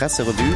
Presserevue.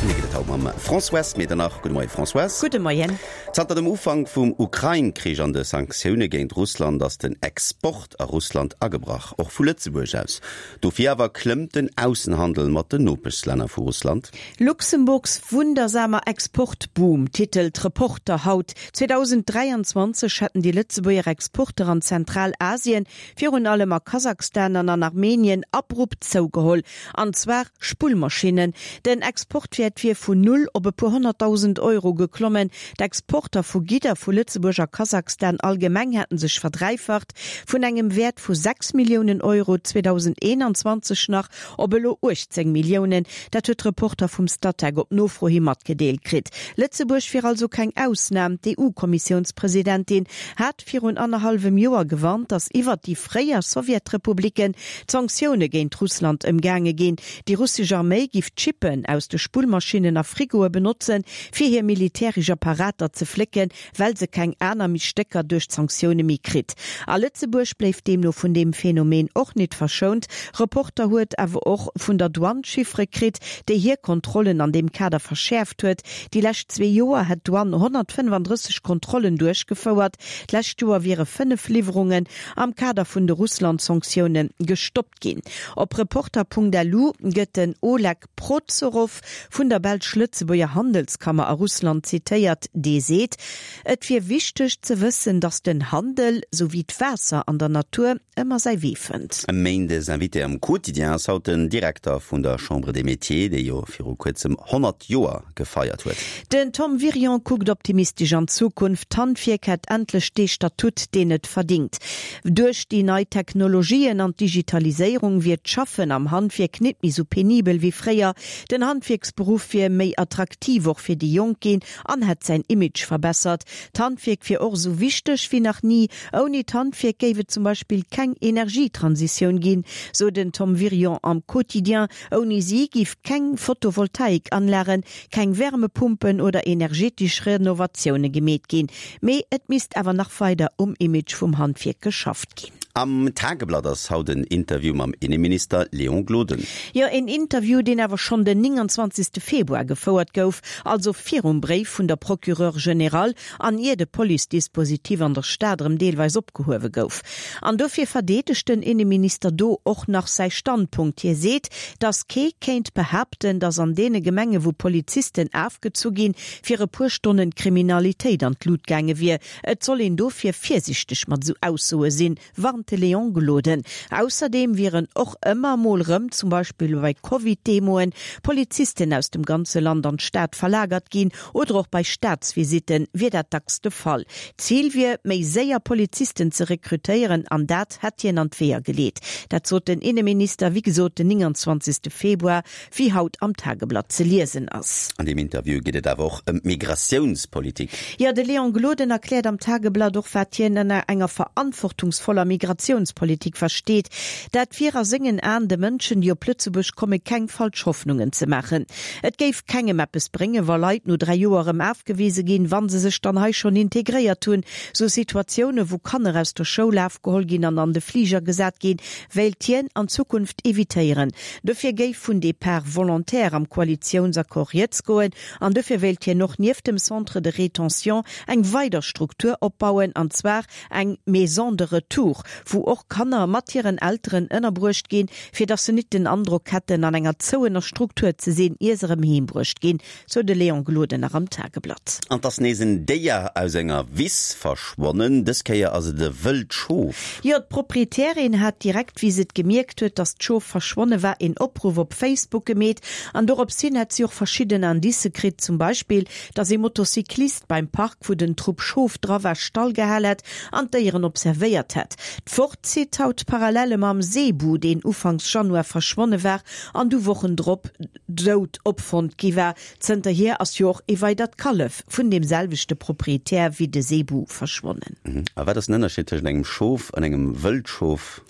Mir geet et haut mam Françoise Medernach. Gudde Moien, Françoise. Gudde Moien. Zanter dem Ufank vum Ukrain-Krich an de Sanktioune géint Russland ass den Export a Russland agebrach, och vu Lëtzebuerg aus. Dofir awer klëmmt den Aussenhandel mat den Nopeschlänner vu Russland. Luxemburgs wundersamer Exportboom titelt Reporter haut. 2023 hätten déi Lëtzebuerger Exporter an Zentralasien, virun allem a Kasachstan an an Armenien, abrupt zougeholl. An zwar Spullmaschinnen. Den Exportwäert wier vun null op e puer 100.000 Euro geklommen. D'Exporter vu Gidder vu Lëtzebuerg a Kasachstan allgemeng hätten sech verdräifacht, vun engem Wäert vu 6 Milliounen Euro 2021 nach op elo 18 Milliounen. Dat huet Reporter vum Statec op Nofro hi matgedeelt kritt. Lëtzebuerg wier also keng Ausnam. D'EU-Kommissiounspresidentin hat virun annerhallwem Joer gewarnt, datt iwwert déi fréier Sowjetrepublicken d'Sanktioune géint Russland ëmgaange ginn. Déi russesch Arméi giff d'Chippen aus de Spullmaschinnen a Frigoe benotzen, fir hir militäresch Apparater ze flécken, well se keng aner méi Stécker duerch d'Sanktioune méi kritt. A Lëtzebuerg bléift deemno vun deem Phänomen och nit verschount. Reporter huet awer och vun der Douane Chiffere kritt, déi hir Kontrollen an deem Kader verschäerft huet. Déi lescht zwee Joer hätt d'Douane 135 Kontrollen duerchgefouert. D'lescht Joer wiere 5 Liwwerungen am Kader vun de Russland-Sanktioune gestoppt ginn. Op Reporter.lu gëtt den Oleg Prozorow vun der belsch-Lëtzebuerger Handelskammer a Russland zitéiert, dee seet, et wier wichteg ze wëssen, datt den Handel, sou wéi d'Waasser an der Natur, ëmmer säi Wee fënnt. E Méindes Invité am Quotidien ass haut den Direkter vun der Chambre des Métiers, déi jo viru kuerzem 100 Joer gefeiert huet. Den Tom Wirion kuckt optimistesch an d'Zukunft, D'Handwierk hätt endlech dee Statut, deen et verdingt. Duerch déi nei Technologien an d'Digitaliséierung wier d'Schaffen am Handwierk nit méi sou penibel wéi fréier. Den Handwierksberuff wier méi attraktiv och fir déi Jonk ginn an hätt säin Image verbessert. D'Handwierk wier och sou wichteg wéi nach ni. Ouni d'Handwierk géif et zum Beispill keng Energietransitioun ginn, sou den Tom Wirion am Quotidien. Ouni si giff keng Photovoltaikanlagen, keng Wärmepumpen oder energetesch Renovatioune gemeet ginn. Mee et misst awer nach weider um Image vum Handwierk geschafft ginn. Am Tageblatt ass haut en Interview mam Inneminister Léon Gloden. Jo, een Interview, deen awer schonn den 29. Februar gefouert gouf, also virum Bréif vun der Procureure générale an ier de Police-Dispositif an der Stad erëm deelweis opgehuewe gouf. An dofir verdeedegt den Inneminister do och nach säi Standpunkt. Hie seet, datt kee kéint behaapten, datt an deene Gemenge wou Polizisten afgezu ginn, fir e puer Stonnen d'Kriminalitéit an d'Lut gaange wier. Et soll een dofir virsiichteg mat esou Aussoe sinn, warnt de Léon Gloden. Ausserdeem wieren och ëmmer mol rëm, zum Beispill bei Covid-Demoen, Polizisten aus dem ganze Land an d'Stad verlagert ginn oder och bei Staatsvisitte wier dat dacks de Fall. D'Zil wier, méi séier Polizisten ze rekrutéieren an dat hätt hien an d'Weeër geleet. Dat sot den Inneminister, wéi gesot, den 29. Februar wéi haut am Tageblatt ze liesen ass. An deem Interview geet et awer och ëm d'Migratiounspolitik. Jo, de Léon Gloden erkläert am Tageblatt och, wat hien ënner enger verantwortungsvoller Migratiounspolitik versteet. Dat wier a sengen Aen, de Mënschen, déi op Lëtzebuerg kommen, keng falsch Hoffnungen ze maachen. Et géif kengem eppes bréngen, wa Leit no 3 Joer erëm afgewise ginn, wa se sech dann hei schonn integréiert hunn. Sou Situatioune, wou Kanner aus der Schoul afgeholl ginn an an de Fliger gesat ginn, wéilt hien an Zukunft evitéieren. Dofir géif vun Départ volontaire am Koalitiounsaccord rieds goen an dofir wéilt hien och nieft dem Centre de rétention eng weider Struktur opbauen, an zwar eng Maison de retour, wou och Kanner mat hiren Elteren ënnerbruecht ginn, fir datt se nit den Androck hätten, an enger zouener Struktur ze sinn, ier se erëm heem bruecht ginn. Sou de Léon Gloden nach am Tageblatt. An 't ass nees en Déier aus enger Wiss verschwonnen. Dës Kéier ass et e wëllt Schof. Jo, d'Proprietärin hat direkt, wéi se et gemierkt huet, dass d'Schof verschwonne war, een Opruff op Facebook gemeet. An dorops hin hätt si och verschidden Indicë kritt, zum Beispill, dass ee Motocyclist beim Park, wou den Trupp Schof dra war, stallgehal hätt an d'Déieren observéiert hätt. D'Wort zitt haut Parallele mam Seebu, deen ufanks Januar verschwonne war an du Wochen drop dout opfonnt gi war. Zënterhier ass jo och ee weidert Kallef vun deem selwechte Proprietär wéi de Sebu verschwonnen. A wat ass den Ënnerscheed tëschent engem Schof an engem Wëldschof?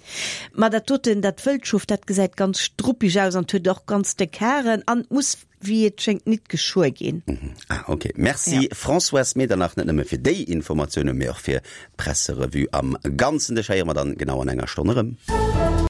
Ma dat doten, dat Wëldschof, dat gesäit ganz struppig aus an huet och ganz déck Haren an muss, wéi et schéngt, nit geschuer ginn. Ah, ok. Merci Françoise Medernach, net nëmme fir déi Informatiounen, mee och fir d'Presserevue am Ganzen. Dech héiere mer dann genau an enger Stonn erëm.